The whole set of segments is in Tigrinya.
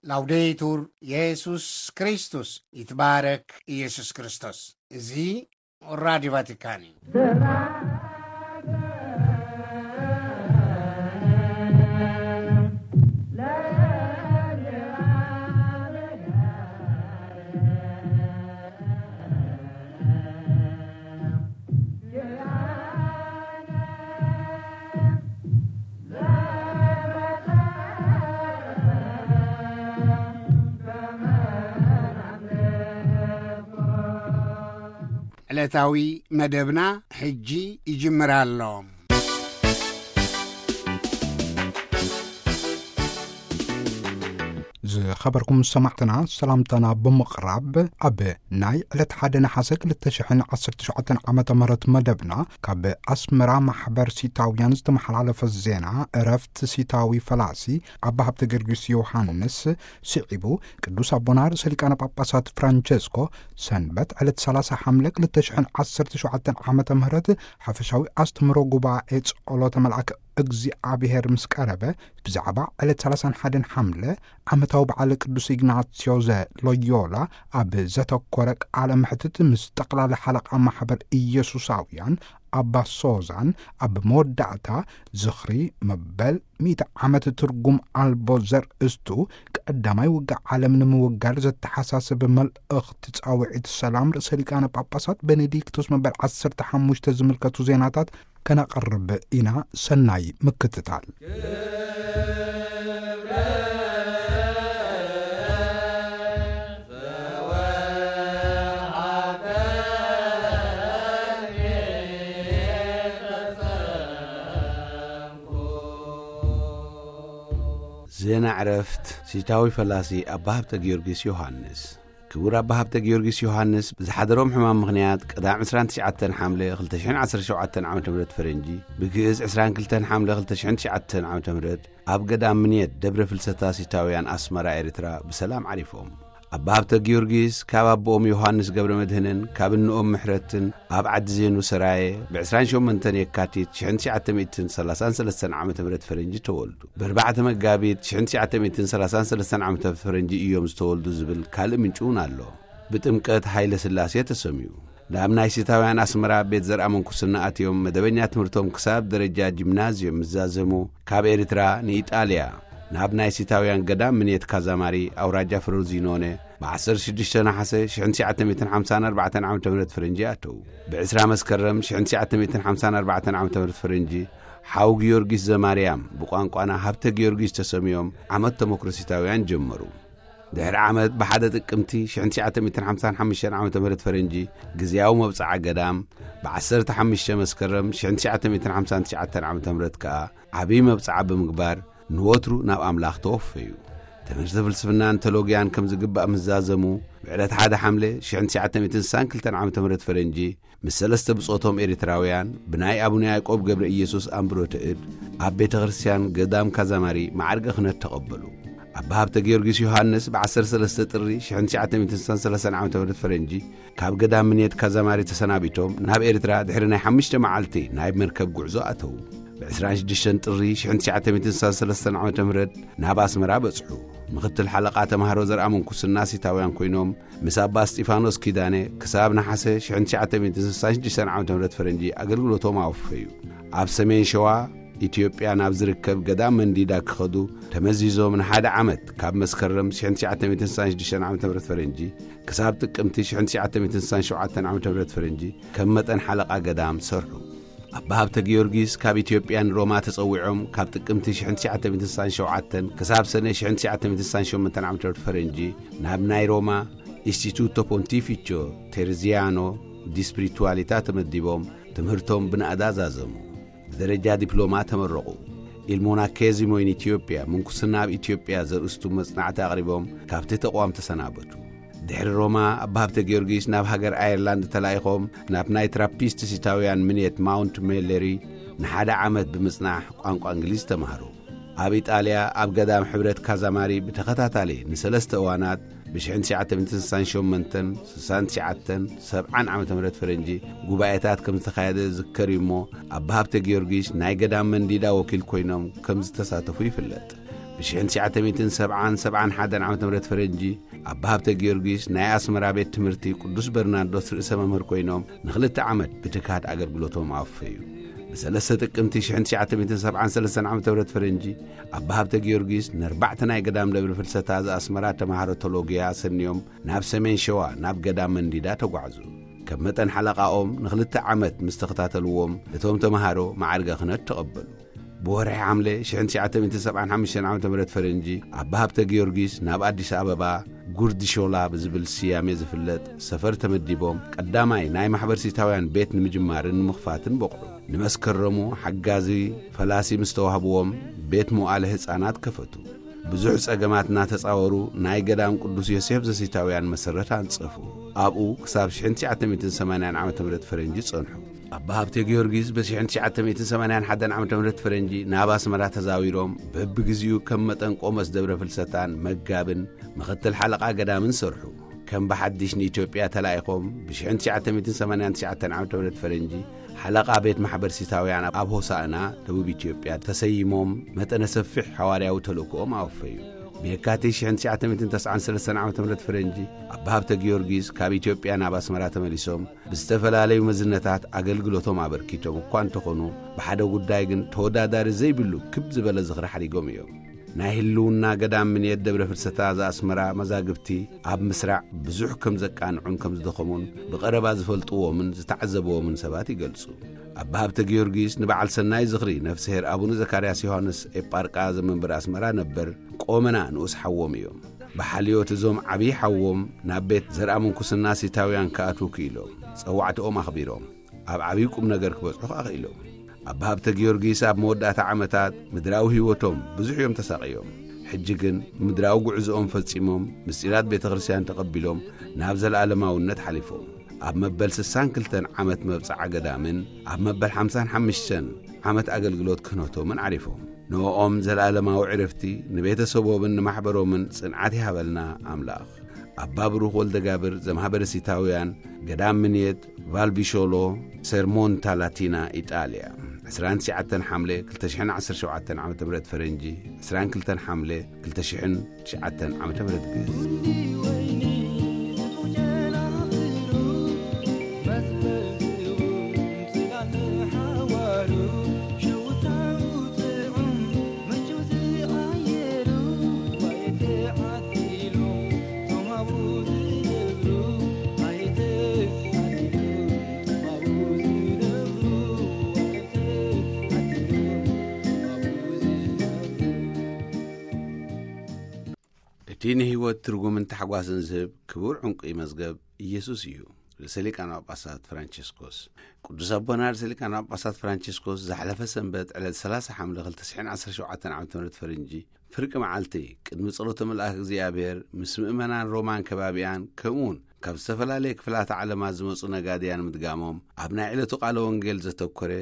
ላውዴቱር የሱስ ክርስቶስ፣ ይትባረክ ኢየሱስ ክርስቶስ። እዚ ራዲዮ ቫቲካን እዩ። ዕለታዊ መደብና ሕጂ ይጅምር ኣሎ። ዝኸበርኩም ሰማዕትና፣ ሰላምታና ብምቕራብ፣ ኣብ ናይ ዕለት ሓደ ነሓሰ ክልተ ሽሕን ዓሰርተ ሸውዓተን ዓመተ ምህረት መደብና፣ ካብ ኣስመራ ማሕበር ሲታውያን ዝተመሓላለፈ ዜና፣ እረፍት ሲታዊ ፈላሲ ኣባ ሃብተ ጊዮርጊስ ዮሃንስ ስዒቡ፣ ቅዱስ ኣቦና ርእሰ ሊቃነ ጳጳሳት ፍራንቸስኮ ሰንበት ዕለት ሰላሳ ሓምለ ክልተ ሽሕን ዓሰርተ ሸውዓተን ዓመተ ምህረት ሓፈሻዊ ኣስተምህሮ ጉባኤ ጸሎተ መልኣክ እግዚኣብሔር ምስ ቀረበ፣ ብዛዕባ ዕለት ሰላሳን ሓደን ሓምለ ዓመታዊ በዓል ቅዱስ ኢግናስዮ ዘ ሎዮላ ኣብ ዘተኮረ ቃለ መሕትት ምስ ጠቕላሊ ሓለቓ ማሕበር ኢየሱሳውያን ኣባ ሶዛን ኣብ መወዳእታ ዝኽሪ መበል ሚእቲ ዓመት ትርጉም ኣልቦ ዘርእስቱ ቀዳማይ ውግእ ዓለም ንምውጋድ ዘተሓሳስብ መልእኽቲ ጻውዒት ሰላም ርእሰ ሊቃነ ጳጳሳት ቤኔዲክቶስ መበል ዓሰርተ ሓሙሽተ ዝምልከቱ ዜናታት ከነቕርብ ኢና። ሰናይ ምክትታል። ዜና ዕረፍት ሲታዊ ፈላሲ ኣባ ሃብተ ጊዮርጊስ ዮሃንስ። ክቡር ኣባ ሃብተ ጊዮርጊስ ዮሃንስ ብዝሓደሮም ሕማም ምኽንያት ቀዳም ዕስራን ትሽዓተን ሓምለ ክልተ ሽሕን ዓሰርተ ሸውዓተን ዓመተ ምህረት ፈረንጂ፣ ብግእዝ ዕስራን ክልተን ሓምለ ክልተ ሽሕን ትሽዓተን ዓመተ ምህረት ኣብ ገዳም ምንየት ደብረ ፍልሰታ ሲታውያን ኣስመራ ኤርትራ ብሰላም ዓሪፎም። ኣባ ሃብተ ጊዮርጊስ ካብ ኣቦኦም ዮሃንስ ገብረ መድህንን ካብ እንኦም ምሕረትን ኣብ ዓዲ ዜኑ ሰራየ ብ ዕስራን ሸሞንተን የካቲት ሽሕን ትሽዓተ ሚእትን ሰላሳን ሰለስተን ዓመተ ምህረት ፈረንጂ ተወልዱ። ብ ኣርባዕተ መጋቢት ሽሕን ትሽዓተ ሚእትን ሰላሳን ሰለስተን ዓመተ ፈረንጂ እዮም ዝተወልዱ ዝብል ካልእ ምንጪ እውን ኣሎ። ብጥምቀት ሃይለ ስላሴ ተሰምዩ። ናብ ናይ ሲታውያን ኣስመራ ቤት ዘርኣ መንኩስና ኣትዮም መደበኛ ትምህርቶም ክሳብ ደረጃ ጂምናዝዮም ምስ ዛዘሙ፣ ካብ ኤርትራ ንኢጣልያ ናብ ናይ ሲታውያን ገዳም ምንየት ካዛማሪ ኣውራጃ ፍሮዚኖነ ብ ዓሰርተ ሽዱሽተ ነሓሰ ሽሕን ትሽዓተ ሚእትን ሓምሳን ኣርባዕተን ዓመተ ምህረት ፈረንጂ ኣተዉ። ብ ዕስራ መስከረም ሽሕን ትሽዓተ ሚእትን ሓምሳን ኣርባዕተን ዓመተ ምህረት ፈረንጂ ሓው ጊዮርጊስ ዘማርያም ብቋንቋና ሃብተ ጊዮርጊስ ተሰምዮም ዓመት ተመክሮ ሲታውያን ጀመሩ። ድሕሪ ዓመት ብሓደ ጥቅምቲ ሽሕን ትሽዓተ ሚእትን ሓምሳን ሓሙሽተን ዓመተ ምህረት ፈረንጂ ግዝያዊ መብጽዓ ገዳም ብ ዓሰርተ ሓሙሽተ መስከረም ሽሕን ትሽዓተ ሚእትን ሓምሳን ትሽዓተን ዓመተ ምህረት ከኣ ዓብዪ መብጽዓ ብምግባር ንወትሩ ናብ ኣምላኽ ተወፈዩ። ትምህርቲ ፍልስፍናን ቴሎጊያን ከም ዝግባእ ምስ ዛዘሙ፣ ብዕለት ሓደ ሓምለ ሽሕን ትሽዓተ ሚእትን ስሳን ክልተን ዓመተ ምህረት ፈረንጂ ምስ ሰለስተ ብጾቶም ኤርትራውያን ብናይ ኣቡነ ያዕቆብ ገብረ ኢየሱስ ኣንብሮተ እድ ኣብ ቤተ ክርስቲያን ገዳም ካዛማሪ ማዕርገ ክህነት ተቐበሉ። ኣባ ሃብተ ጊዮርጊስ ዮሃንስ ብ ዓሰርተ ሰለስተ ጥሪ ሽሕን ትሽዓተ ሚእትን ስሳን ሰለስተን ዓመተ ምህረት ፈረንጂ ካብ ገዳም ምንየት ካዛማሪ ተሰናቢቶም ናብ ኤርትራ ድሕሪ ናይ ሓሙሽተ መዓልቲ ናይ መርከብ ጉዕዞ ኣተዉ። ብ ዕስራን ሽዱሽተን ጥሪ ሽሕን ትሽዓተ ሚእትን ስሳን ሰለስተን ዓመተ ምህረት ናብ ኣስመራ በጽሑ። ምኽትል ሓለቓ ተማሃሮ ዘርኣ መንኩስና ሲታውያን ኮይኖም ምስ ኣባ እስጢፋኖስ ኪዳነ ክሳብ ነሓሰ ሽሕን ትሽዓተ ሚእትን ስሳን ሽዱሽተን ዓመተ ምህረት ፈረንጂ ኣገልግሎቶም ኣወፈዩ። ኣብ ሰሜን ሸዋ ኢትዮጵያ ናብ ዝርከብ ገዳም መንዲዳ ክኸዱ ተመዚዞም ንሓደ ዓመት ካብ መስከረም ሽሕን ትሽዓተ ሚእትን ስሳን ሽዱሽተን ዓመተ ምህረት ፈረንጂ ክሳብ ጥቅምቲ ሽሕን ትሽዓተ ሚእትን ስሳን ሸውዓተን ዓመተ ምህረት ፈረንጂ ከም መጠን ሓለቓ ገዳም ሰርሑ። ኣባ ሃብተ ጊዮርጊስ ካብ ኢትዮጵያ ንሮማ ተጸዊዖም ካብ ጥቅምቲ ሽሕን ትሽዓተ ሚእትን ስሳን ሸውዓተን ክሳብ ሰነ ሽሕን ትሽዓተ ሚእትን ስሳን ሸሞንተን ዓመተ ምህረት ፈረንጂ ናብ ናይ ሮማ ኢንስቲቱቶ ፖንቲፊቾ ቴርዚያኖ ዲ ስፒሪቱዋሊታ ተመዲቦም ትምህርቶም ብናእዳ ዛዘሙ። ብደረጃ ዲፕሎማ ተመረቑ። ኢል ሞናኬዚሞ ኢን ኢትዮጵያ፣ ምንኩስና ኣብ ኢትዮጵያ ዘርእስቱ መጽናዕቲ ኣቕሪቦም ካብቲ ተቋም ተሰናበቱ። ድሕሪ ሮማ ኣባ ሃብተ ጊዮርጊስ ናብ ሃገር ኣየርላንድ ተላኢኾም ናብ ናይ ትራፒስት ሲታውያን ምንየት ማውንት ሜለሪ ንሓደ ዓመት ብምጽናሕ ቋንቋ እንግሊዝ ተማህሩ። ኣብ ኢጣልያ ኣብ ገዳም ሕብረት ካዛማሪ ብተኸታታሊ ንሰለስተ እዋናት ብሽሕን ትሽዓተ ሚእትን ስሳን ሸሞንተን፣ ስሳን ትሽዓተን፣ ሰብዓን ዓመተ ምህረት ፈረንጂ ጉባኤታት ከም ዝተኻየደ ዝዝከር እዩ እሞ፣ ኣባ ሃብተ ጊዮርጊስ ናይ ገዳም መንዲዳ ወኪል ኮይኖም ከም ዝተሳተፉ ይፍለጥ። ብ1970-71 ዓመተ ምህረት ፈረንጂ ኣባ ሃብተ ጊዮርጊስ ናይ ኣስመራ ቤት ትምህርቲ ቅዱስ በርናርዶስ ርእሰ መምህር ኮይኖም ንኽልተ ዓመት ብትግሃት ኣገልግሎቶም ኣወፈዩ። ብ3 ጥቅምቲ 1973 ዓመተ ምህረት ፈረንጂ ኣባ ሃብተ ጊዮርጊስ ንኣርባዕተ ናይ ገዳም ደብረ ፍልሰታ ዘኣስመራ ተማሃሮ ቶሎጊያ ኣሰንዮም ናብ ሰሜን ሸዋ ናብ ገዳም መንዲዳ ተጓዕዙ። ከም መጠን ሓለቓኦም ንኽልተ ዓመት ምስ ተኸታተልዎም እቶም ተማሃሮ ማዕርገ ክህነት ተቐበሉ። ብወርሒ ሓምለ 1975 ዓመተ ምህረት ፈረንጂ ኣባ ሃብተ ጊዮርጊስ ናብ ኣዲስ ኣበባ ጉርዲ ሾላ ብዝብል ስያሜ ዝፍለጥ ሰፈር ተመዲቦም ቀዳማይ ናይ ማሕበር ሲታውያን ቤት ንምጅማርን ንምኽፋትን በቕዑ። ንመስከረሙ ሓጋዚ ፈላሲ ምስ ተዋህብዎም ቤት መዋእለ ህፃናት ከፈቱ። ብዙሕ ጸገማት እናተጻወሩ ናይ ገዳም ቅዱስ ዮሴፍ ዘሲታውያን መሰረት ኣንጸፉ። ኣብኡ ክሳብ 1980 ዓመተ ምህረት ፈረንጂ ጸንሑ። ኣባ ሃብተ ጊዮርጊስ ብ1981 ዓመተ ምህረት ፈረንጂ ናብ ኣስመራ ተዛዊሮም በብግዚኡ ከም መጠን ቆመስ ደብረ ፍልሰታን መጋብን ምኽትል ሓለቓ ገዳምን ሰርሑ። ከም ብሓድሽ ንኢትዮጵያ ተላኢኾም ብ1989 ዓመተ ምህረት ፈረንጂ ሓለቓ ቤት ማሕበር ሲታውያን ኣብ ሆሳእና ደቡብ ኢትዮጵያ ተሰይሞም መጠነ ሰፊሕ ሓዋርያዊ ተልእኮኦም ኣወፈዩ። ብየካቲት 1993 ዓመተ ምህረት ፈረንጂ ኣባ ሃብተ ጊዮርጊስ ካብ ኢትዮጵያ ናብ ኣስመራ ተመሊሶም ብዝተፈላለዩ መዝነታት ኣገልግሎቶም ኣበርኪቶም እኳ እንተኾኑ፣ ብሓደ ጉዳይ ግን ተወዳዳሪ ዘይብሉ ክብ ዝበለ ዝኽሪ ሓዲጎም እዮም። ናይ ህልውና ገዳም ምንየት ደብረ ፍልሰታ ዘኣስመራ መዛግብቲ ኣብ ምስራዕ ብዙሕ ከም ዘቃንዑን ከም ዝደኸሙን ብቐረባ ዝፈልጥዎምን ዝተዓዘብዎምን ሰባት ይገልጹ። ኣባ ሃብተ ጊዮርጊስ ንበዓል ሰናይ ዝኽሪ ነፍስሄር ኣቡነ ዘካርያስ ዮሃንስ ኤጳርቃ ዘመንበር ኣስመራ ነበር ቆመና ንኡስ ሓዎም እዮም። ብሓልዮት እዞም ዓብዪ ሓዎም ናብ ቤት ዘርኣ ምንኩስና ሲታውያን ክኣትዉ ክኢሎም፣ ጸዋዕትኦም ኣኽቢሮም፣ ኣብ ዓብዪ ቁም ነገር ክበጽሑ ኣኽኢሎም። ኣባ ሃብተ ጊዮርጊስ ኣብ መወዳእታ ዓመታት ምድራዊ ህይወቶም ብዙሕ እዮም ተሳቕዮም። ሕጂ ግን ምድራዊ ጉዕዞኦም ፈጺሞም፣ ምስጢራት ቤተ ክርስቲያን ተቐቢሎም፣ ናብ ዘለኣለማውነት ሓሊፎም። ኣብ መበል 62 ዓመት መብጽዓ ገዳምን ኣብ መበል 55 ዓመት ኣገልግሎት ክህነቶምን ዓሪፎም። ንኦም ዘለኣለማዊ ዕረፍቲ፣ ንቤተሰቦምን ንማሕበሮምን ጽንዓት ይሃበልና ኣምላኽ። ኣባ ብሩኽ ወልደጋብር ዘማሕበረ ሲታውያን ገዳም ምንየት ቫልቪሾሎ ሰርሞንታ ላቲና ኢጣልያ። 29 ሓምለ 2017 ዓመተ ምህረት ፈረንጂ፣ 22 ሓምለ 2009 ዓመተ ምህረት ግእዝ። እቲ ንህይወት ትርጉምን ታሕጓስን ዝህብ ክቡር ዕንቁ መዝገብ ኢየሱስ እዩ። ርእሰ ሊቃነ ጳጳሳት ፍራንቸስኮስ። ቅዱስ ኣቦና ርእሰ ሊቃነ ጳጳሳት ፍራንቸስኮስ ዝሓለፈ ሰንበት ዕለት 30 ሓምለ 2017 ዓመተ ምህረት ፈረንጂ ፍርቂ መዓልቲ ቅድሚ ጸሎተ መልኣክ እግዚኣብሔር ምስ ምእመናን ሮማን ከባቢኣን ከምኡውን ካብ ዝተፈላለየ ክፍላተ ዓለማት ዝመጹ ነጋድያን ምድጋሞም ኣብ ናይ ዕለቱ ቃለ ወንጌል ዘተኮረ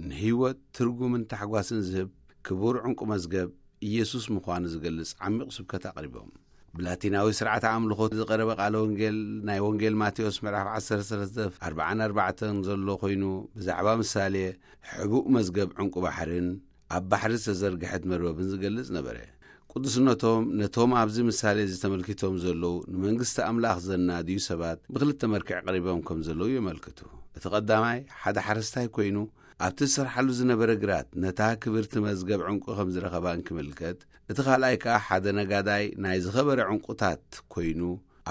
ንህይወት ትርጉምን ታሕጓስን ዝህብ ክቡር ዕንቁ መዝገብ ኢየሱስ ምዃኑ ዝገልጽ ዓሚቕ ስብከት ኣቕሪቦም። ብላቲናዊ ስርዓተ ኣምልኾ ዝቐረበ ቃለ ወንጌል ናይ ወንጌል ማቴዎስ ምዕራፍ 13 ኣርባዓን ኣርባዕተን ዘሎ ኮይኑ ብዛዕባ ምሳሌ ሕቡእ መዝገብ ዕንቁ ባሕርን ኣብ ባሕሪ ዝተዘርግሐት መርበብን ዝገልጽ ነበረ። ቅዱስነቶም ነቶም ኣብዚ ምሳሌ እዚ ተመልኪቶም ዘለዉ ንመንግስቲ ኣምላኽ ዘናድዩ ሰባት ብክልተ መርክዕ ቀሪቦም ከም ዘለዉ የመልክቱ። እቲ ቀዳማይ ሓደ ሓረስታይ ኮይኑ ኣብቲ ዝሰርሓሉ ዝነበረ ግራት ነታ ክብርቲ መዝገብ ዕንቁ ከም ዝረኸባ እንክምልከት፣ እቲ ካልኣይ ከኣ ሓደ ነጋዳይ ናይ ዝኸበረ ዕንቁታት ኮይኑ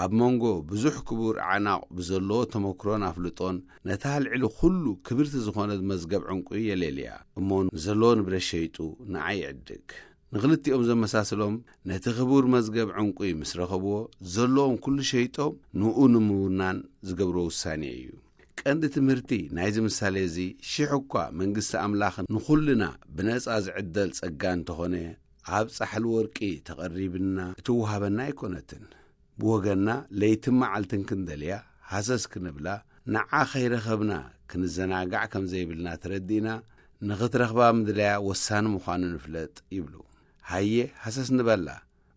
ኣብ መንጎ ብዙሕ ክቡር ኣዕናቕ ብዘለዎ ተመክሮን ኣፍልጦን ነታ ልዕሊ ኩሉ ክብርቲ ዝኾነት መዝገብ ዕንቁ የሌልያ እሞ ንዘለዎ ንብረት ሸይጡ ንዓ ይዕድግ። ንኽልቲኦም ዘመሳስሎም ነቲ ክቡር መዝገብ ዕንቁ ምስ ረኸብዎ ዘለዎም ኩሉ ሸይጦም ንኡ ንምውናን ዝገብሮ ውሳኔ እዩ። ቀንዲ ትምህርቲ ናይዚ ምሳሌ እዚ ሽሕ እኳ መንግስቲ ኣምላኽ ንኹልና ብነጻ ዝዕደል ጸጋ እንተኾነ ኣብ ጻሕሊ ወርቂ ተቐሪብና እትወሃበና ኣይኮነትን። ብወገንና ለይትን መዓልትን ክንደልያ ሃሰስ ክንብላ ንዓ ከይረኸብና ክንዘናጋዕ ከም ዘይብልና ተረዲእና ንኽትረኽባ ምድላያ ወሳኒ ምዃኑ ንፍለጥ ይብሉ። ሃየ ሃሰስ ንበላ።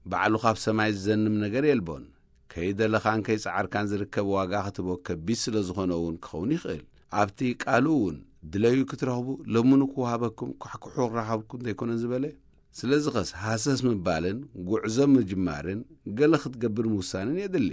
ባዕሉ ካብ ሰማይ ዝዘንም ነገር የልቦን። ከይደለኻን ከይጸዓርካን ዝርከብ ዋጋ ክትቦ ከቢድ ስለ ዝኾነ እውን ክኸውን ይኽእል። ኣብቲ ቃሉ እውን ድለዩ ክትረኽቡ ለምኑ ክወሃበኩም ኳሕኩሑ ክረኸብኩም ዘይኮነን ዝበለ። ስለዚ ኸስ ሃሰስ ምባልን ጉዕዞ ምጅማርን ገለ ክትገብር ምውሳንን የድሊ።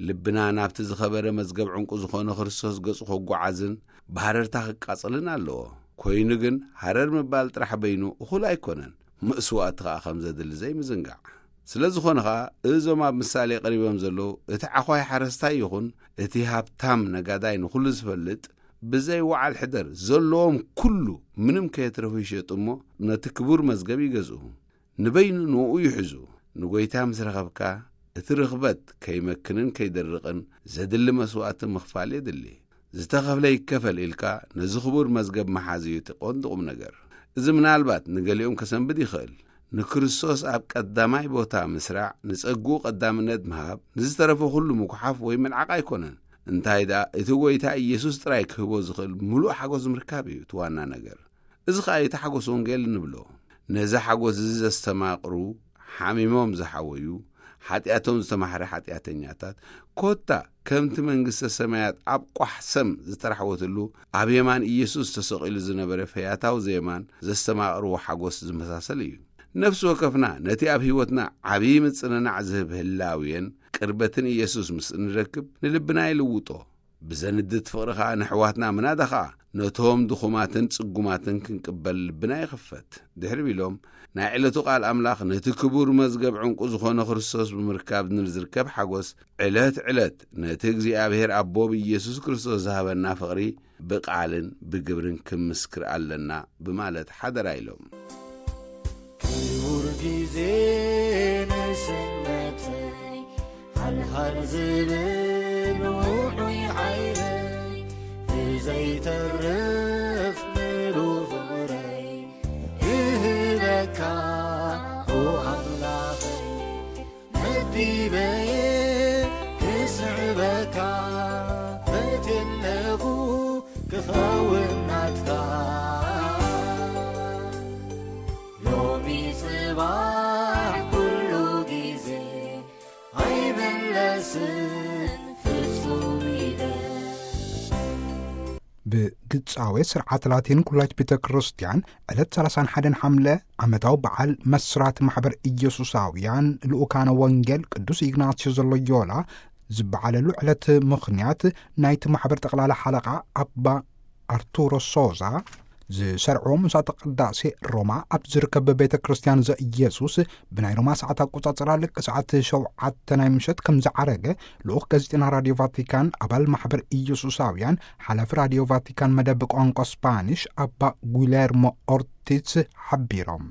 ልብና ናብቲ ዝኸበረ መዝገብ ዕንቁ ዝኾነ ክርስቶስ ገጹ ከጓዓዝን ብሃረርታ ክቃጸልን ኣለዎ። ኮይኑ ግን ሃረር ምባል ጥራሕ በይኑ እኹል ኣይኮነን። መስዋእቲ ኸኣ ከም ዘድሊ ዘይምዝንጋዕ። ስለ ዝኾነ ኸኣ እዞም ኣብ ምሳሌ ቀሪቦም ዘለዉ እቲ ዓዃይ ሓረስታይ ይኹን እቲ ሃብታም ነጋዳይ ንኹሉ ዝፈልጥ ብዘይ ወዓል ሕደር ዘለዎም ኩሉ ምንም ከየትረፉ ይሸጡ እሞ ነቲ ክቡር መዝገብ ይገዝኡ። ንበይኑ ንኡ ይሕዙ። ንጎይታ ምስ ረኸብካ እቲ ርኽበት ከይመክንን ከይደርቕን ዘድሊ መስዋእቲ ምኽፋል የድሊ። ዝተኸፍለ ይከፈል ኢልካ ነዚ ክቡር መዝገብ ምሓዝ እዩ እቲ ቀንዲ ቁም ነገር። እዚ ምናልባት ንገሊኦም ከሰንብድ ይኽእል። ንክርስቶስ ኣብ ቀዳማይ ቦታ ምስራዕ፣ ንጸግኡ ቀዳምነት ምሃብ፣ ንዝተረፈ ኩሉ ምጉሓፍ ወይ ምንዓቕ ኣይኮነን። እንታይ ደኣ እቲ ጎይታ ኢየሱስ ጥራይ ክህቦ ዝኽእል ምሉእ ሓጎስ ምርካብ እዩ እቲ ዋና ነገር። እዚ ኸኣ እዩ እቲ ሓጎስ ወንጌል እንብሎ። ነዚ ሓጎስ እዚ ዘስተማቕሩ፣ ሓሚሞም ዝሓወዩ፣ ሓጢኣቶም ዝተማሕረ ሓጢኣተኛታት፣ ኮታ ከምቲ መንግስተ ሰማያት ኣብ ቋሕ ሰም ዝተራሕወትሉ ኣብ የማን ኢየሱስ ተሰቒሉ ዝነበረ ፈያታዊ ዘየማን ዘስተማቕርዎ ሓጎስ ዝመሳሰል እዩ። ነፍሲ ወከፍና ነቲ ኣብ ህይወትና ዓብዪ ምጽንናዕ ዝህብ ህላውየን ቅርበትን ኢየሱስ ምስ እንረክብ ንልብና ይልውጦ። ብዘንድት ፍቕሪ ኸኣ ንሕዋትና ምናዳ ኸኣ ነቶም ድኹማትን ጽጉማትን ክንቅበል ልብና ይኽፈት። ድሕሪ ቢሎም ናይ ዕለቱ ቃል ኣምላኽ ነቲ ክቡር መዝገብ ዕንቁ ዝኾነ ክርስቶስ ብምርካብ ንዝርከብ ሓጎስ ዕለት ዕለት ነቲ እግዚኣብሔር ኣቦ ብኢየሱስ ክርስቶስ ዝሃበና ፍቕሪ ብቃልን ብግብርን ክምስክር ኣለና ብማለት ሓደራ ኢሎም። ክቡር ግዜ ንስነተይ ሃልሃል ዝብል ውዑይ ዓይነይ ብዘይተርፍ ምሉ ፍቕረይ ክህበካ ኦ ኣምላኸይ መዲበየ ክስዕበካ በትለኹ ክኸውን ናትካ ሎሚ ጽባሕ ኩሉ ግዜ ኣይመለስን ፍጹም ኢለ። ብግብጻዊ ስርዓት ላቲን ኩላይት ቤተ ክርስቲያን ዕለት ሰላሳን ሓደን ሓምለ ዓመታዊ በዓል መስራት ማሕበር ኢየሱሳውያን ልኡካነ ወንጌል ቅዱስ ኢግናስዮስ ዘሎዮላ ዝበዓለሉ ዕለት ምኽንያት ናይቲ ማሕበር ጠቕላላ ሓለቓ ኣባ ኣርቱሮ ሶዛ ዝሰርዕዎ ምሳተ ቅዳሴ ሮማ ኣብ ዝርከብ ቤተ ክርስቲያን ዘኢየሱስ ብናይ ሮማ ሰዓት ኣቆጻጽራ ልክ ሰዓት ሸውዓተ ናይ ምሸት ከም ዝዓረገ ልኡኽ ጋዜጠና ራድዮ ቫቲካን ኣባል ማሕበር ኢየሱሳውያን ሓላፊ ራድዮ ቫቲካን መደብ ቋንቋ ስፓኒሽ ኣባ ጉሌርሞ ኦርቲዝ ሓቢሮም።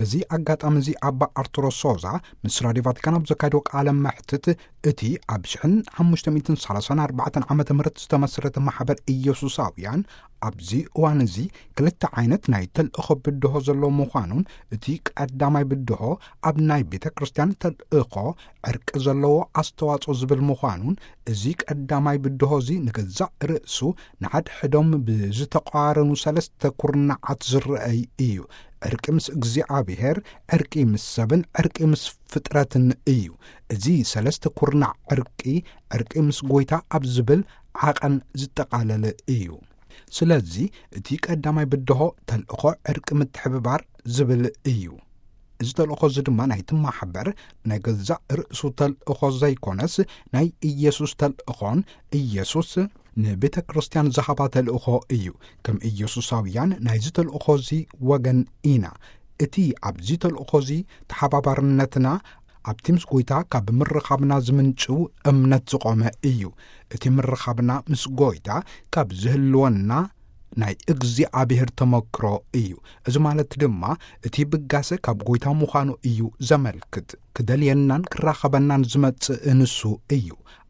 በዚ ኣጋጣሚ እዚ ኣባ ኣርቱሮ ሶዛ ምስ ራድዮ ቫቲካን ኣብ ዘካየድዎ ቃለ መሕትት እቲ ኣብ ሽሕን ሓሙሽተ ሚእትን ሰላሳን ኣርባዕተን ዓመተ ምህረት ዝተመስረተ ማሕበር ኢየሱሳውያን ኣብዚ እዋን እዚ ክልተ ዓይነት ናይ ተልእኾ ብድሆ ዘለዎ ምዃኑን እቲ ቀዳማይ ብድሆ ኣብ ናይ ቤተ ክርስቲያን ተልእኾ ዕርቂ ዘለዎ ኣስተዋጽኦ ዝብል ምዃኑን እዚ ቀዳማይ ብድሆ እዚ ንገዛእ ርእሱ ንሓድሕዶም ብዝተቋረኑ ሰለስተ ኩርናዓት ዝረኣይ እዩ። ዕርቂ ምስ እግዚኣብሔር፣ ዕርቂ ምስ ሰብን ዕርቂ ምስ ፍጥረትን እዩ። እዚ ሰለስተ ኩርናዕ ዕርቂ፣ ዕርቂ ምስ ጎይታ ኣብ ዝብል ዓቐን ዝጠቓለለ እዩ። ስለዚ እቲ ቀዳማይ ብድሆ ተልእኾ ዕርቂ ምትሕብባር ዝብል እዩ። እዚ ተልእኾ እዚ ድማ ናይቲ ማሕበር ናይ ገዛእ ርእሱ ተልእኾ ዘይኮነስ ናይ ኢየሱስ ተልእኾን ኢየሱስ ንቤተ ክርስቲያን ዝሃባ ተልእኾ እዩ። ከም ኢየሱሳውያን ናይዚ ተልእኾ እዚ ወገን ኢና። እቲ ኣብዚ ተልእኾ እዚ ተሓባባርነትና ኣብቲ ምስ ጎይታ ካብ ምርኻብና ዝምንጭው እምነት ዝቖመ እዩ። እቲ ምርኻብና ምስ ጎይታ ካብ ዝህልወና ናይ እግዚኣብሔር ተመክሮ እዩ። እዚ ማለት ድማ እቲ ብጋሰ ካብ ጎይታ ምዃኑ እዩ ዘመልክት። ክደልየናን ክራኸበናን ዝመጽእ ንሱ እዩ።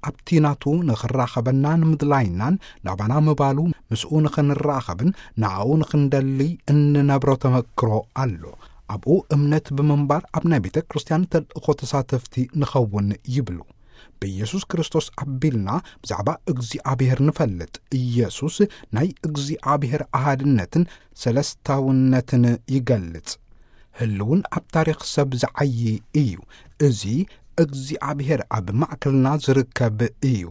ኣብቲ ናቱ ንኽራኸበና ንምድላይናን ናባና ምባሉ ምስኡ ንኽንራኸብን ንኣኡ ንኽንደሊ እንነብሮ ተመክሮ ኣሎ። ኣብኡ እምነት ብምንባር ኣብ ናይ ቤተ ክርስቲያን ተልእኾ ተሳተፍቲ ንኸውን ይብሉ። ብኢየሱስ ክርስቶስ ኣቢልና ብዛዕባ እግዚኣብሔር ንፈልጥ። ኢየሱስ ናይ እግዚኣብሔር ኣሃድነትን ሰለስታውነትን ይገልጽ። ህልውን ኣብ ታሪኽ ሰብ ዝዓዪ እዩ። እዚ እግዚኣብሔር ኣብ ማእከልና ዝርከብ እዩ።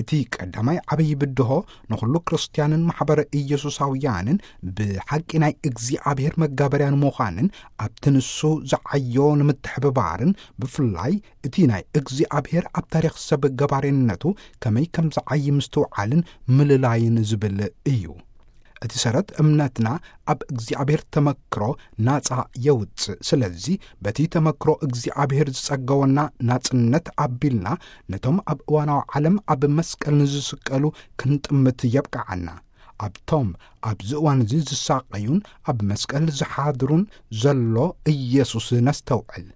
እቲ ቀዳማይ ዓብዪ ብድሆ ንኹሉ ክርስትያንን ማሕበረ ኢየሱሳውያንን ብሓቂ ናይ እግዚኣብሔር መጋበርያን ምዃንን ኣብቲ ንሱ ዝዓዮ ንምትሕብባርን ብፍላይ እቲ ናይ እግዚኣብሔር ኣብ ታሪኽ ሰብ ገባሬነቱ ከመይ ከም ዝዓይ ምስትውዓልን ምልላይን ዝብል እዩ። እቲ ሰረት እምነትና ኣብ እግዚኣብሔር ተመክሮ ናጻ የውጽእ። ስለዚ በቲ ተመክሮ እግዚኣብሔር ዝጸገወና ናጽነት ኣቢልና ነቶም ኣብ እዋናዊ ዓለም ኣብ መስቀል ንዝስቀሉ ክንጥምት የብቅዓና። ኣብቶም ኣብዚ እዋን እዚ ዝሳቀዩን ኣብ መስቀል ዝሓድሩን ዘሎ ኢየሱስ ነስተውዕል።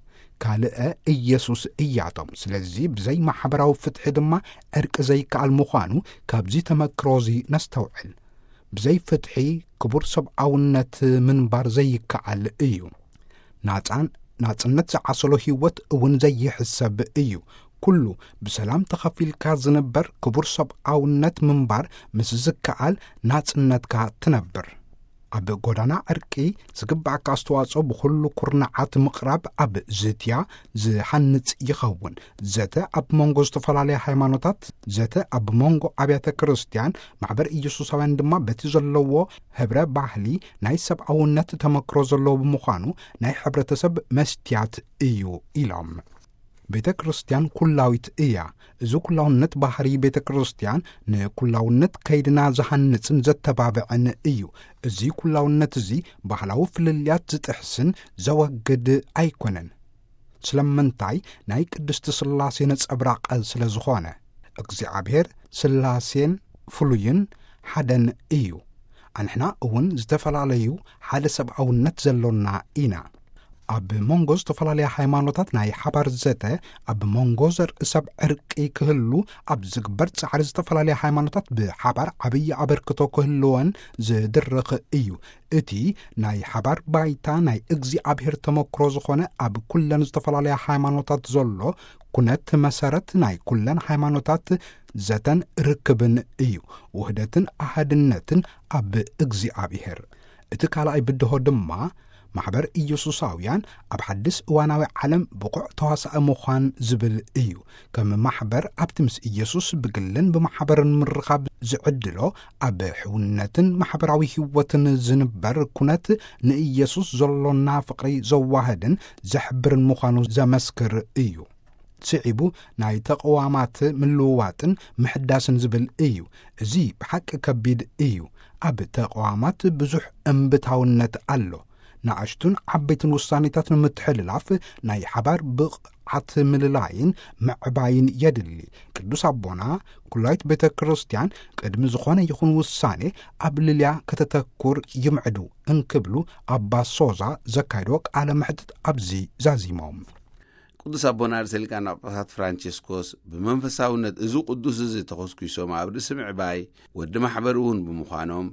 ካልእ ኢየሱስ እያቶም። ስለዚ ብዘይ ማሕበራዊ ፍትሒ ድማ ዕርቂ ዘይከኣል ምዃኑ ካብዚ ተመክሮ እዚ ነስተውዕል። ብዘይ ፍትሒ ክቡር ሰብኣውነት ምንባር ዘይከኣል እዩ። ናጻን ናጽነት ዝዓሰሎ ህይወት እውን ዘይሕሰብ እዩ። ኩሉ ብሰላም ተኸፊልካ ዝንበር ክቡር ሰብኣውነት ምንባር ምስ ዝከኣል ናጽነትካ ትነብር። ኣብ ጎዳና ዕርቂ ዝግባእካ ኣስተዋጽኦ ብኹሉ ኩርናዓት ምቕራብ ኣብ ዝትያ ዝሃንጽ ይኸውን። ዘተ ኣብ መንጎ ዝተፈላለያ ሃይማኖታት፣ ዘተ ኣብ መንጎ ኣብያተ ክርስትያን፣ ማሕበር ኢየሱሳውያን ድማ በቲ ዘለዎ ህብረ ባህሊ ናይ ሰብኣውነት ተመክሮ ዘለዎ ብምዃኑ ናይ ሕብረተሰብ መስትያት እዩ ኢሎም። ቤተ ክርስትያን ኩላዊት እያ። እዚ ኩላውነት ባህሪ ቤተ ክርስትያን ንኩላውነት ከይድና ዝሃንጽን ዘተባብዕን እዩ። እዚ ኩላውነት እዚ ባህላዊ ፍልልያት ዝጥሕስን ዘወግድ ኣይኮነን። ስለምንታይ? ናይ ቅድስቲ ሥላሴ ነጸብራቕ ስለ ዝኾነ። እግዚኣብሔር ሥላሴን ፍሉይን ሓደን እዩ። ኣንሕና እውን ዝተፈላለዩ ሓደ ሰብኣውነት ዘሎና ኢና። ኣብ መንጎ ዝተፈላለያ ሃይማኖታት ናይ ሓባር ዘተ፣ ኣብ መንጎ ዘርኢ ሰብ ዕርቂ ክህሉ ኣብ ዝግበር ጻዕሪ ዝተፈላለያ ሃይማኖታት ብሓባር ዓብዪ ኣበርክቶ ክህልወን ዝድርኽ እዩ። እቲ ናይ ሓባር ባይታ ናይ እግዚኣብሔር ተመክሮ ዝኾነ ኣብ ኩለን ዝተፈላለያ ሃይማኖታት ዘሎ ኩነት መሰረት ናይ ኩለን ሃይማኖታት ዘተን ርክብን እዩ። ውህደትን ኣሃድነትን ኣብ እግዚኣብሔር። እቲ ካልኣይ ብድሆ ድማ ማሕበር ኢየሱሳውያን ኣብ ሓድስ እዋናዊ ዓለም ብቑዕ ተዋሳኢ ምዃን ዝብል እዩ። ከም ማሕበር ኣብቲ ምስ ኢየሱስ ብግልን ብማሕበርን ምርኻብ ዝዕድሎ ኣብ ሕውነትን ማሕበራዊ ህይወትን ዝንበር ኩነት ንኢየሱስ ዘሎና ፍቕሪ ዘዋህድን ዘሕብርን ምዃኑ ዘመስክር እዩ። ስዒቡ ናይ ተቕዋማት ምልውዋጥን ምሕዳስን ዝብል እዩ። እዚ ብሓቂ ከቢድ እዩ። ኣብ ተቕዋማት ብዙሕ እምብታውነት ኣሎ። ንኣሽቱን ዓበይትን ውሳኔታት ንምትሕልላፍ ናይ ሓባር ብቕዓት ምልላይን ምዕባይን የድሊ። ቅዱስ ኣቦና፣ ኩላይት ቤተ ክርስቲያን ቅድሚ ዝኾነ ይኹን ውሳኔ ኣብ ልልያ ከተተኩር ይምዕዱ እንክብሉ ኣባ ሶዛ ዘካይዶ ቃለ መሕትት ኣብዚ ዛዚሞም። ቅዱስ ኣቦና ርእሰ ሊቃነ ጳጳሳት ፍራንቸስኮስ ብመንፈሳውነት እዚ ቅዱስ እዚ ተኾስኲሶም ኣብ ርእሲ ምዕባይ ወዲ ማሕበር እውን ብምዃኖም፣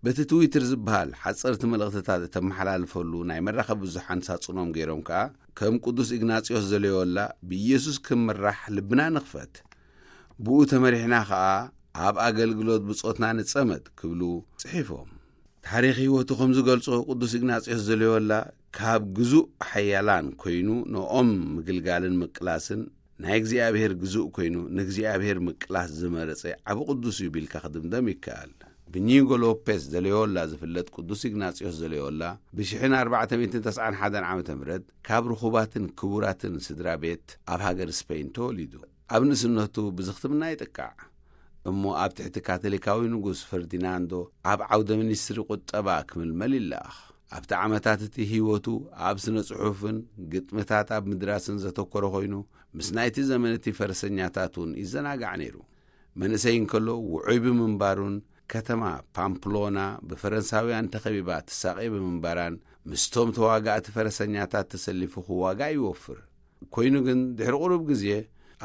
በቲ ትዊተር ዝበሃል ሓጸርቲ መልእኽትታት እተመሓላልፈሉ ናይ መራኸቢ ብዙሓን ሳጹኖም ገይሮም ከኣ፣ ከም ቅዱስ ኢግናጽዮስ ዘሎዮላ ብኢየሱስ ክንምራሕ ልብና ንኽፈት፣ ብኡ ተመሪሕና ከኣ ኣብ ኣገልግሎት ብጾትና ንጸመድ ክብሉ ጽሒፎም። ታሪኽ ህይወቱ ከም ዝገልጾ፣ ቅዱስ ኢግናጽዮስ ዘሎዮላ ካብ ግዙእ ሓያላን ኮይኑ ንኦም ምግልጋልን ምቅላስን ናይ እግዚኣብሔር ግዙእ ኮይኑ ንእግዚኣብሔር ምቅላስ ዝመረጸ ዓቢ ቅዱስ እዩ ቢልካ ክድምደም ይከኣል። ብኒጎ ሎፔስ ዘሎዮላ ዝፍለጥ ቅዱስ ኢግናጽዮስ ዘሎዮላ ብሽሕን ኣርባዕተ ሚእትን ተስዓን ሓደን ዓመተ ምህረት ካብ ርኹባትን ክቡራትን ስድራ ቤት ኣብ ሃገር ስፔን ተወሊዱ። ኣብ ንእስነቱ ብዝኽትምና ይጥቃዕ። እሞ ኣብ ትሕቲ ካቶሊካዊ ንጉስ ፈርዲናንዶ ኣብ ዓውደ ሚኒስትሪ ቁጠባ ክምልመል ይለኣኽ። ኣብቲ ዓመታት እቲ ህይወቱ ኣብ ስነ ጽሑፍን ግጥምታት ኣብ ምድራስን ዘተኮረ ኮይኑ፣ ምስ ናይቲ ዘመን እቲ ፈረሰኛታት እውን ይዘናጋዕ ነይሩ። መንእሰይ እንከሎ ውዑይ ብምንባሩን ከተማ ፓምፕሎና ብፈረንሳውያን ተኸቢባ ትሳቐ ብምንባራን ምስቶም ተዋጋእቲ ፈረሰኛታት ተሰሊፉ ክዋጋእ ይወፍር። ኮይኑ ግን ድሕሪ ቁሩብ ግዜ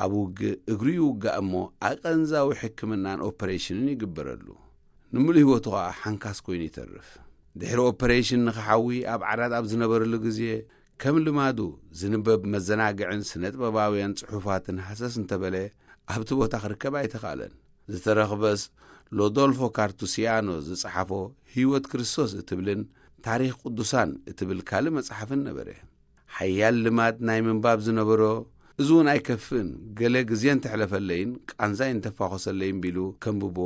ኣብ ውግእ እግሩ ይውጋእ እሞ ኣቐንዛዊ ሕክምናን ኦፐሬሽንን ይግበረሉ። ንምሉእ ህይወቱ ኸኣ ሓንካስ ኮይኑ ይተርፍ። ድሕሪ ኦፐሬሽን ንኽሓዊ ኣብ ዓራት ኣብ ዝነበረሉ ግዜ ከም ልማዱ ዝንበብ መዘናግዕን ስነጥበባውያን ጽሑፋትን ሃሰስ እንተበለ ኣብቲ ቦታ ክርከብ ኣይተኻእለን። ዝተረኽበስ ሎዶልፎ ካርቱሲያኖ ዝጸሓፎ ህይወት ክርስቶስ እትብልን ታሪኽ ቅዱሳን እትብል ካልእ መጽሓፍን ነበረ። ሓያል ልማድ ናይ ምንባብ ዝነበሮ እዚ እውን ኣይከፍእን፣ ገለ ግዜ እንተሕለፈለይን ቃንዛይ እንተፋኾሰለይን ቢሉ ከንብቦ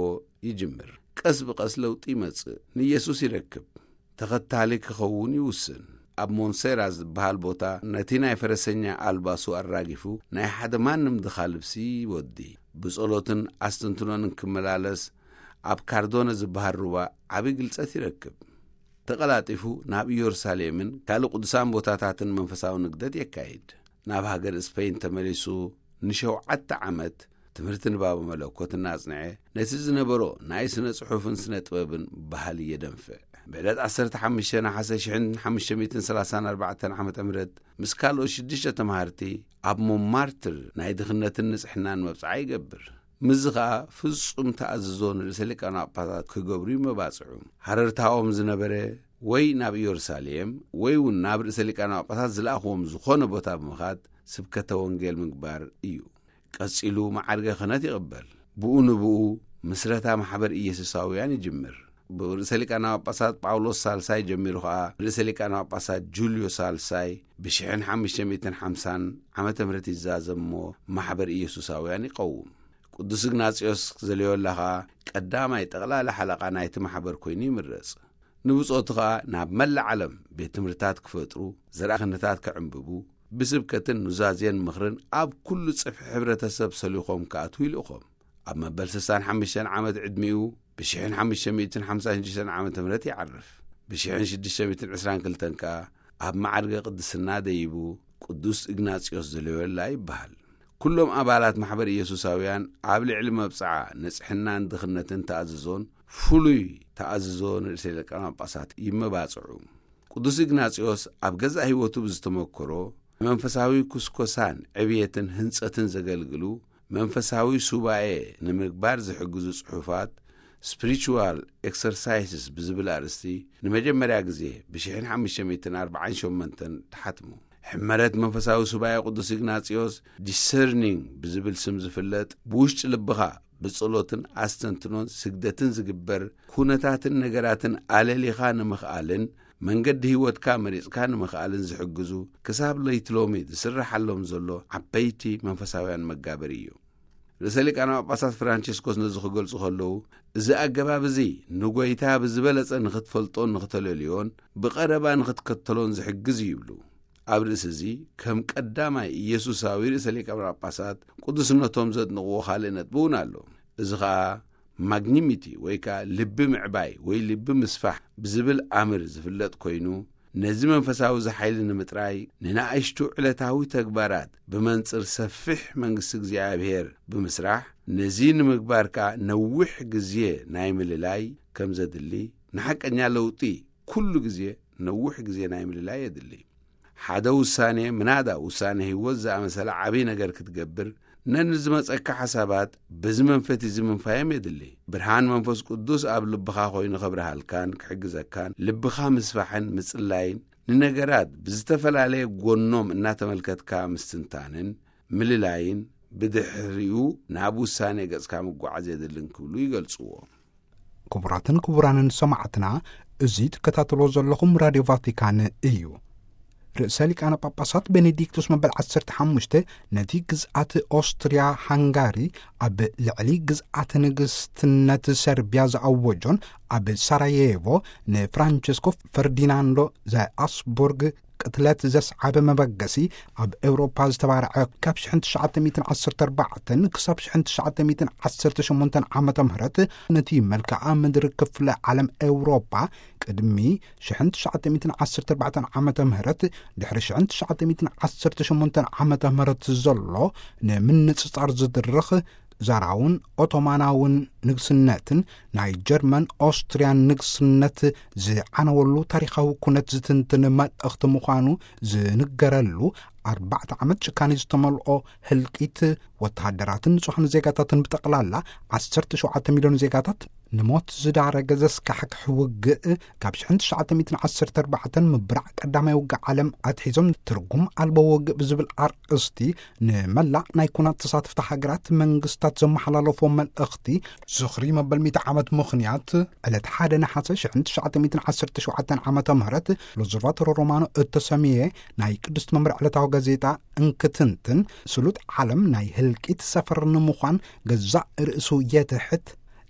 ይጅምር። ቀስ ብቐስ ለውጢ ይመጽእ፣ ንኢየሱስ ይረክብ። ተኸታሊ ክኸውን ይውስን። ኣብ ሞንሴራ ዝበሃል ቦታ ነቲ ናይ ፈረሰኛ ኣልባሱ ኣራጊፉ ናይ ሓደ ማንም ድኻ ልብሲ ይወዲ። ብጸሎትን ኣስተንትኖን ክመላለስ ኣብ ካርዶነ ዝበሃል ሩባ ዓቢ ግልጸት ይረክብ። ተቐላጢፉ ናብ ኢየሩሳሌምን ካልእ ቅዱሳን ቦታታትን መንፈሳዊ ንግደት የካይድ። ናብ ሃገር ስፐይን ተመሊሱ ንሸውዓተ ዓመት ትምህርቲ ንባብ መለኮት እናጽንዐ፣ ነቲ ዝነበሮ ናይ ስነ ጽሑፍን ስነ ጥበብን ባህሊ የደንፍዕ። ብዕለት ዓሰርተ ሓሙሽተ ነሓሰ ሽሕን ሓሙሽተ ሚእትን ሰላሳን ኣርባዕተን ዓመተ ምህረት ምስ ካልኦት ሽዱሽተ ተማሃርቲ ኣብ ሞንማርትር ናይ ድኽነትን ንጽሕናን መብጽዓ ይገብር። ምስዚ ኸኣ ፍጹም ተኣዝዞ ንርእሰ ሊቃነ ጳጳሳት ክገብሩ ይመባጽዑ። ሃረርታኦም ዝነበረ ወይ ናብ ኢየሩሳሌም ወይ እውን ናብ ርእሰ ሊቃነ ጳጳሳት ዝለኣኽዎም ዝኾነ ቦታ ብምኻድ ስብከተ ወንጌል ምግባር እዩ። ቀጺሉ መዓርገ ክህነት ይቕበል። ብኡ ንብኡ ምስረታ ማሕበር ኢየሱሳውያን ይጅምር። ብርእሰ ሊቃነ ጳጳሳት ጳውሎስ ሳልሳይ ጀሚሩ ኸኣ ርእሰ ሊቃነ ጳጳሳት ጁልዮ ሳልሳይ ብሽሕን ሓሙሽተ ሚእትን ሓምሳን ዓመተ ምህረት ይዛዘም እሞ ማሕበር ኢየሱሳውያን ይቐውም። ቅዱስ እግናጽዮስ ዘልዮላ ኸኣ ቀዳማይ ጠቕላላ ሓለቓ ናይቲ ማሕበር ኮይኑ ይምረጽ። ንብጾቱ ኸኣ ናብ መላእ ዓለም ቤት ትምህርትታት ክፈጥሩ፣ ዘርኣ ክህነታት ከዕንብቡ፣ ብስብከትን ኑዛዜን ምኽርን ኣብ ኩሉ ጽፍሒ ሕብረተሰብ ሰሊኾም ክኣትዉ ይልእኾም። ኣብ መበል ስሳን ሓሙሽተን ዓመት ዕድሚኡ ብሽሕን ሓሙሽተ ሚእትን ሓምሳን ሽዱሽተን ዓመተ ምህረት ይዓርፍ። ብሽሕን ሽዱሽተ ሚእትን ዕስራን ክልተን ከኣ ኣብ መዓርገ ቅድስና ደይቡ ቅዱስ እግናጽዮስ ዘሎዮላ ይበሃል። ኩሎም ኣባላት ማሕበር ኢየሱሳውያን ኣብ ልዕሊ መብጽዓ ንጽሕናን ድኽነትን ተኣዝዞን ፍሉይ ተኣዝዞ ንርእሰ ሊቃነ ጳጳሳት ይመባጽዑ። ቅዱስ እግናጽዮስ ኣብ ገዛእ ህይወቱ ብዝተመክሮ መንፈሳዊ ኩስኮሳን ዕብየትን ህንጸትን ዘገልግሉ መንፈሳዊ ሱባኤ ንምግባር ዝሕግዙ ጽሑፋት፣ ስፒሪቹዋል ኤክሰርሳይስስ ብዝብል ኣርእስቲ ንመጀመርያ ግዜ ብሽሕን ሓሙሽተ ሚእትን ኣርባዓን ሸሞንተን ተሓትሙ። ሕመረት መንፈሳዊ ሱባኤ ቅዱስ ኢግናጽዮስ ዲሰርኒንግ ብዝብል ስም ዝፍለጥ፣ ብውሽጢ ልብኻ ብጸሎትን ኣስተንትኖን ስግደትን ዝግበር፣ ኩነታትን ነገራትን ኣለሊኻ ንምኽኣልን መንገዲ ህይወትካ መሪጽካ ንምኽኣልን ዝሕግዙ፣ ክሳብ ለይቲ ሎሚ ዝስረሓሎም ዘሎ ዓበይቲ መንፈሳውያን መጋበሪ እዩ። ርእሰ ሊቃነ ጳጳሳት ፍራንቸስኮስ ነዚ ክገልጹ ከለዉ፣ እዚ ኣገባብ እዚ ንጐይታ ብዝበለጸ ንኽትፈልጦን ንኽተለልዮን ብቐረባ ንኽትከተሎን ዝሕግዝ እዩ ይብሉ። ኣብ ርእሲ እዚ፣ ከም ቀዳማይ ኢየሱሳዊ ርእሰ ሊቃነ ጳጳሳት ቅዱስነቶም ዘድንቕዎ ካልእ ነጥቢ እውን ኣሎ። እዚ ኸኣ ማግኒሚቲ ወይ ከኣ ልቢ ምዕባይ ወይ ልቢ ምስፋሕ ብዝብል ኣምር ዝፍለጥ ኮይኑ፣ ነዚ መንፈሳዊ እዚ ሓይሊ ንምጥራይ ንንኣሽቱ ዕለታዊ ተግባራት ብመንጽር ሰፊሕ መንግስቲ እግዚኣብሔር ብምስራሕ፣ ነዚ ንምግባር ከኣ ነዊሕ ግዜ ናይ ምልላይ ከም ዘድሊ፣ ንሓቀኛ ለውጢ ኩሉ ግዜ ነዊሕ ግዜ ናይ ምልላይ የድሊ። ሓደ ውሳኔ፣ ምናዳ ውሳኔ ህይወት ዝኣመሰለ ዓብዪ ነገር ክትገብር፣ ነንዝመጸካ ሓሳባት በዚ መንፈት እዚ ምንፋዮም የድሊ። ብርሃን መንፈስ ቅዱስ ኣብ ልብኻ ኮይኑ ከብርሃልካን ክሕግዘካን፣ ልብኻ ምስፋሕን ምጽላይን፣ ንነገራት ብዝተፈላለየ ጎኖም እናተመልከትካ ምስትንታንን ምልላይን፣ ብድሕሪኡ ናብ ውሳኔ ገጽካ ምጓዓዝ የድልን ክብሉ ይገልጽዎ። ክቡራትን ክቡራንን ሰማዕትና፣ እዚ ትከታተሎ ዘለኹም ራድዮ ቫቲካን እዩ። ርእሰ ሊቃነ ጳጳሳት ቤኔዲክቱስ መበል ዓሰርተ ሓሙሽተ ነቲ ግዝኣት ኦስትርያ ሃንጋሪ ኣብ ልዕሊ ግዝኣት ንግስትነት ሰርቢያ ዝኣወጆን ኣብ ሳራየቮ ንፍራንቸስኮ ፈርዲናንዶ ዘኣስቡርግ ቅትለት ዘስዓበ መበገሲ ኣብ ኤውሮፓ ዝተባርዐ ካብ ሽሕን ትሽዓተ ሚእትን ዓሰርተ ኣርባዕተን ክሳብ ሽሕን ትሽዓተ ሚእትን ዓሰርተ ሸሞንተን ዓመተ ምህረት ነቲ መልክዓ ምድሪ ክፍለ ዓለም ኤውሮፓ ቅድሚ ሽሕን ትሽዓተ ሚእትን ዓሰርተ ኣርባዕተን ዓመተ ምህረት ድሕሪ ሽሕን ትሽዓተ ሚእትን ዓሰርተ ሸሞንተን ዓመተ ምህረት ዘሎ ንምንጽጻር ዝድርኽ ዛራውን ኦቶማናውን ንግስነትን ናይ ጀርመን ኦስትርያን ንግስነት ዝዓነወሉ ታሪኻዊ ኩነት ዝትንትን መልእኽቲ ምዃኑ ዝንገረሉ ኣርባዕተ ዓመት ጭካኔ ዝተመልኦ ህልቂት ወተሃደራትን ንጹሓን ዜጋታትን ብጠቕላላ ዓሰርተ ሸውዓተ ሚልዮን ዜጋታት ንሞት ዝዳረገ ዘስካሕክሕ ውግእ፣ ካብ ሽሕን ትሽዓተ ሚእትን ዓሰርተ ኣርባዕተን ምብራዕ ቀዳማይ ውግእ ዓለም ኣትሒዞም ትርጉም ኣልቦ ውግእ ብዝብል ኣርእስቲ ንመላእ ናይ ኩናት ተሳትፍቲ ሃገራት መንግስታት ዘመሓላለፎ መልእኽቲ ዝኽሪ መበል ሚእቲ ዓመት ምኽንያት ዕለት ሓደ ነሓሰ ሽሕን ትሽዓተ ሚእትን ዓሰርተ ሸውዓተን ዓመተ ምህረት ሎዘርቫቶሮ ሮማኖ እተሰምየ ናይ ቅድስት መምርዕ ዕለታዊ ጋዜጣ እንክትንትን፣ ስሉጥ ዓለም ናይ ህልቂት ሰፈር ንምዃን ገዛእ ርእሱ የትሕት።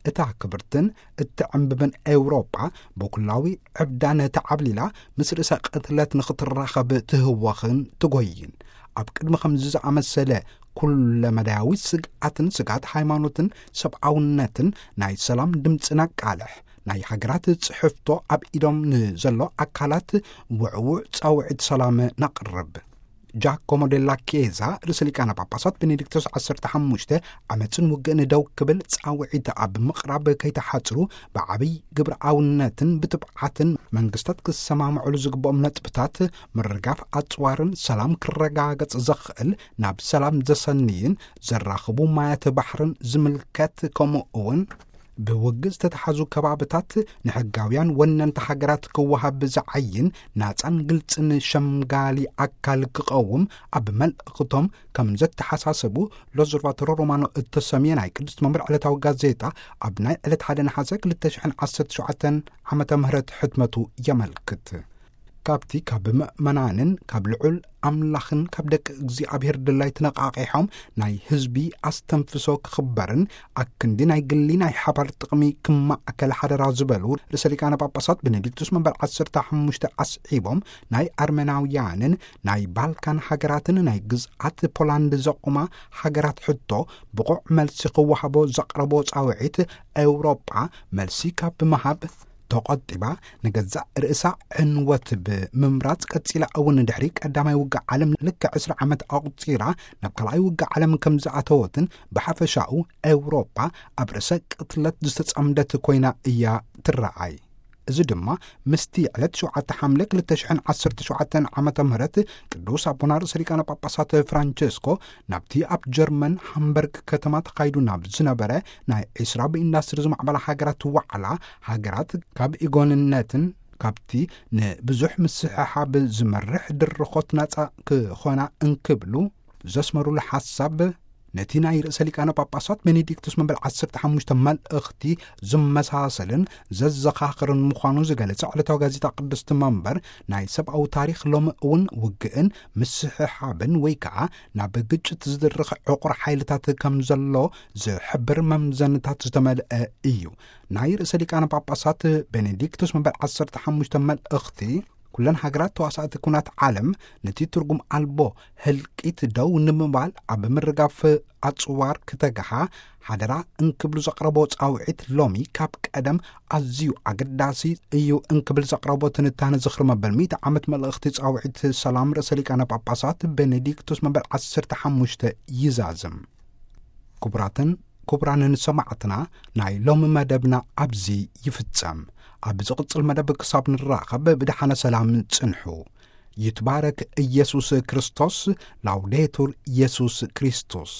እታ ክብርትን እትዕምብብን ኤውሮጳ ብኩላዊ ዕብዳን ተዓብሊላ ምስ ርእሰ ቅትለት ንኽትራኸብ ትህወኽን ትጎይን። ኣብ ቅድሚ ከምዚ ዝኣመሰለ ኩለመዳያዊ ስግኣትን ስግኣት ሃይማኖትን ሰብኣውነትን ናይ ሰላም ድምፂ ነቃልሕ። ናይ ሃገራት ጽሕፍቶ ኣብ ኢዶም ንዘሎ ኣካላት ውዕውዕ ጻውዒት ሰላም ነቕርብ። ጃኮሞ ደላ ኬዛ ርእሰ ሊቃነ ጳጳሳት ቤኔዲክቶስ ዓሰርተ ሓሙሽተ ዓመፅን ውግእን ደው ክብል ጻውዒት ኣብ ምቕራብ ከይተሓጽሩ፣ ብዓብይ ግብረኣውነትን ብትብዓትን መንግስታት ክሰማምዕሉ ዝግብኦም ነጥብታት ምርጋፍ ኣጽዋርን ሰላም ክረጋገጽ ዘኽእል ናብ ሰላም ዘሰንይን ዘራኽቡ ማያት ባሕርን ዝምልከት፣ ከምኡ እውን ብውግእ ዝተተሓዙ ከባብታት ንሕጋውያን ወነንቲ ሃገራት ክወሃብ ዝዓይን ናጻን ግልጽን ሸምጋሊ ኣካል ክቐውም ኣብ መልእኽቶም ከም ዘተሓሳሰቡ ሎዘርቫቶሮ ሮማኖ እተሰምየ ናይ ቅድስት መምርዕ ዕለታዊ ጋዜጣ ኣብ ናይ ዕለት ሓደ ነሓሰ ክልተ ሽሕን ዓሰርተ ሸውዓተን ዓመተ ምህረት ሕትመቱ የመልክት። ካብቲ ካብ ምእመናንን ካብ ልዑል ኣምላኽን ካብ ደቂ እግዚኣብሔር ድላይ ተነቃቂሖም ናይ ህዝቢ ኣስተንፍሶ ክኽበርን ኣክንዲ ናይ ግሊ ናይ ሓባር ጥቕሚ ክማእከል ሓደራ ዝበሉ ርእሰ ሊቃነ ጳጳሳት ቤኔዲክቱስ መንበር ዓሰርተ ሓሙሽተ ኣስዒቦም፣ ናይ ኣርመናውያንን ናይ ባልካን ሃገራትን ናይ ግዝኣት ፖላንድ ዘቑማ ሃገራት ሕቶ ብቑዕ መልሲ ክወሃቦ ዘቕረቦ ጻውዒት፣ ኤውሮጳ መልሲ ካብ ምሃብ ተቖጢባ፣ ንገዛእ ርእሳ ዕንወት ብምምራጽ ቀጺላ፣ እውን ድሕሪ ቀዳማይ ውግእ ዓለም ልክዕ ዕስራ ዓመት ኣቑጺራ ናብ ካልኣይ ውግእ ዓለም ከም ዝኣተወትን ብሓፈሻኡ ኤውሮጳ ኣብ ርእሰ ቅትለት ዝተጸምደት ኮይና እያ ትረኣይ። እዚ ድማ ምስቲ ዕለት ሸውዓተ ሓምለ ክልተ ሽሕን ዓሰርተ ሸውዓተን ዓመተ ምህረት ቅዱስ ኣቦና ርእሰ ሊቃነ ጳጳሳት ፍራንቸስኮ ናብቲ ኣብ ጀርመን ሃምበርግ ከተማ ተኻይዱ ናብ ዝነበረ ናይ ዕስራ ብኢንዳስትሪ ዝማዕበላ ሃገራት ዋዕላ፣ ሃገራት ካብ ኢጎንነትን ካብቲ ንብዙሕ ምስሕሓብ ዝመርሕ ድርኾት ናጻ ክኾና እንክብሉ ዘስመሩሉ ሓሳብ፣ ነቲ ናይ ርእሰ ሊቃነ ጳጳሳት ቤኔዲክቱስ መበል ዓሰርተ ሓሙሽተ መልእኽቲ ዝመሳሰልን ዘዘኻኽርን ምዃኑ ዝገለጸ ዕለታዊ ጋዜጣ ቅድስቲ መንበር፣ ናይ ሰብኣዊ ታሪኽ ሎሚ እውን ውግእን ምስሕሓብን ወይ ከዓ ናብ ግጭት ዝድርኽ ዕቑር ሓይልታት ከም ዘሎ ዝሕብር መምዘንታት ዝተመልአ እዩ። ናይ ርእሰ ሊቃነ ጳጳሳት ቤኔዲክቱስ መበል ዓሰርተ ሓሙሽተ መልእኽቲ፣ ኩለን ሃገራት ተዋሳእቲ ኩናት ዓለም ነቲ ትርጉም ኣልቦ ህልቂት ደው ንምባል ኣብ ምርጋፍ ኣጽዋር ክተግሃ ሓደራ እንክብሉ ዘቕረቦ ጻውዒት፣ ሎሚ ካብ ቀደም ኣዝዩ ኣገዳሲ እዩ እንክብል ዘቕረቦ ትንታነ ዝኽሪ መበል ሚእቲ ዓመት መልእኽቲ ጻውዒት ሰላም ርእሰ ሊቃነ ጳጳሳት ቤኔዲክቱስ መበል ዓሰርተ ሓሙሽተ ይዛዝም። ክቡራትን ክቡራንን ሰማዕትና፣ ናይ ሎሚ መደብና ኣብዚ ይፍጸም። ኣብ ዝቕጽል መደብ ክሳብ ንራኸብ ብደሓነ ሰላም ጽንሑ። ይትባረክ ኢየሱስ ክርስቶስ። ላውዴቱር ኢየሱስ ክርስቶስ።